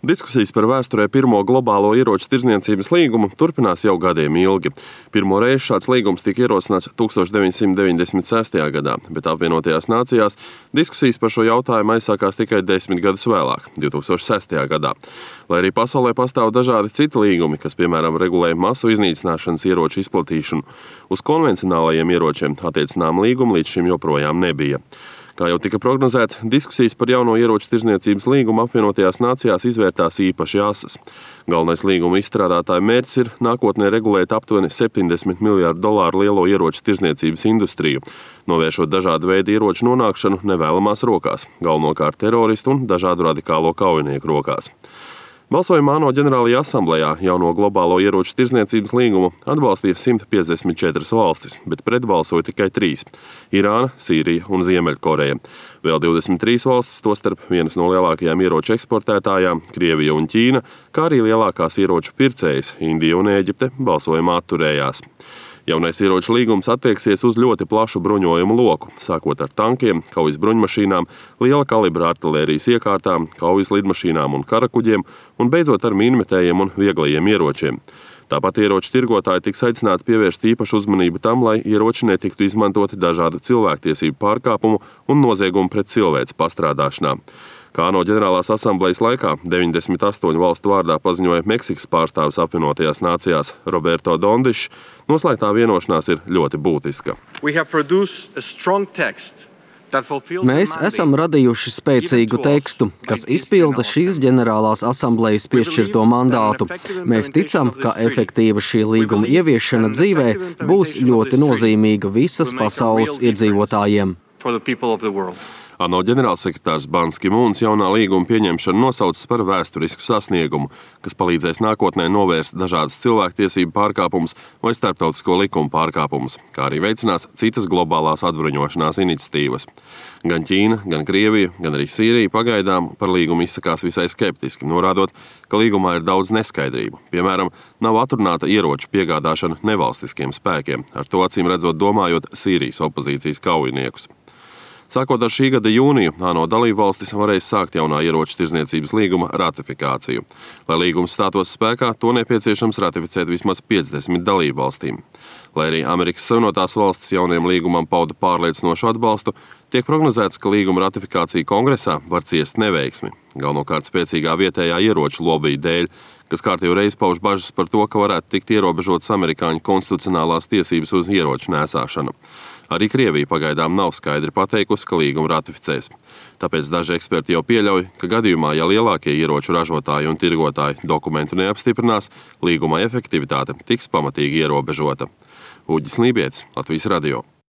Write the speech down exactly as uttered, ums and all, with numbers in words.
Diskusijas par vēsturē pirmo globālo ieroču tirdzniecības līgumu turpinās jau gadiem ilgi. Pirmo reizi šāds līgums tika ierosināts tukstovš deviņsimt deviņdesmit sestajā gadā, bet apvienotajās nācijās diskusijas par šo jautājumu aizsākās tikai desmit gadus vēlāk, divs tūkstoši sestajā gadā. Lai arī pasaulē pastāv dažādi citi līgumi, kas, piemēram, regulē masu iznīcināšanas ieroču izplatīšanu, uz konvencionālajiem ieročiem attiecinām līgumu līdz šim joprojām nebija. Kā jau tika prognozēts, diskusijas par jauno ieroču tirdzniecības līgumu apvienotajās nācijās izvērtās īpaši asas. Galvenais līguma izstrādātāja mērķis ir nākotnē regulēt aptuveni septiņdesmit miljārdu dolāru lielo ieroču tirdzniecības industriju, novēršot dažādu veidu ieroču nonākšanu nevēlamās rokās, galvenokārt teroristu un dažādu radikālo kaujinieku rokās. Balsojumā ANO ģenerālajā asamblejā jauno globālo ieroču tirdzniecības līgumu atbalstīja simt piecdesmit četras valstis, bet pretbalsoja tikai trīs – Irāna, Sīrija un Ziemeļkoreja. Vēl divdesmit trīs valstis, tostarp vienas no lielākajām ieroču eksportētājām – Krievija un Ķīna, kā arī lielākās ieroču pircējas – Indija un Ēģipte balsojumā atturējās. Jaunais ieroču līgums attieksies uz ļoti plašu bruņojumu loku, sākot ar tankiem, kaujas bruņmašīnām, liela kalibra artilērijas iekārtām, kaujas lidmašīnām un karakuģiem un beidzot ar mīnmetējiem un vieglajiem ieročiem. Tāpat ieroču tirgotāji tiks aicināti pievērst īpašu uzmanību tam, lai ieroči netiktu izmantoti dažādu cilvēktiesību pārkāpumu un noziegumu pret cilvēces pastrādāšanā. Kā ANO ģenerālās asamblejas laikā deviņdesmit astoņu valstu vārdā paziņoja Meksikas pārstāvis apvienotajās nācijās Roberto Dondišs, noslēgtā vienošanās ir ļoti būtiska. Mēs esam radījuši spēcīgu tekstu, kas izpilda šīs ģenerālās asamblejas piešķirto mandātu. Mēs ticam, ka efektīva šī līguma ieviešana dzīvē būs ļoti nozīmīga visas pasaules iedzīvotājiem. ANO ģenerālsekretārs Bans Ki-mūns jaunā līguma pieņemšanu nosaucis par vēsturisku sasniegumu, kas palīdzēs nākotnē novērst dažādus cilvēktiesību pārkāpumus vai starptautisko likumu pārkāpumus, kā arī veicinās citas globālās atbruņošanās iniciatīvas. Gan Ķīna, gan Krievija, gan arī Sīrija pagaidām par līgumu izsakās visai skeptiski, norādot, ka līgumā ir daudz neskaidrību. Piemēram, nav atrunāta ieroču piegādāšana nevalstiskiem spēkiem, ar to acīm redzot domājot Sīrijas opozīcijas kaujiniekus. Sākot ar šī gada jūniju, ANO dalībvalstis varēs sākt jaunā ieroču tirdzniecības līguma ratifikāciju. Lai līgums stātos spēkā, to nepieciešams ratificēt vismaz piecdesmit dalībvalstīm. Lai arī Amerikas Savienotās valstis jaunajam līgumam pauda pārliecinošu atbalstu, tiek prognozēts, ka līguma ratifikācija kongresā var ciest neveiksmi, galvenokārt spēcīgā vietējā ieroču lobija dēļ, kas kārtīgi reiz pauž bažas par to, ka varētu tikt ierobežotas amerikāņu konstitucionālās tiesības uz ieroču nēsāšanu. Arī Krievija pagaidām nav skaidri pateikusi, ka līgumu ratificēs. Tāpēc daži eksperti jau pieļauj, ka gadījumā, ja lielākie ieroču ražotāji un tirgotāji dokumentu neapstiprinās, līguma efektivitāte tiks pamatīgi ierobežota. Uģis Lībietis, Latvijas radio.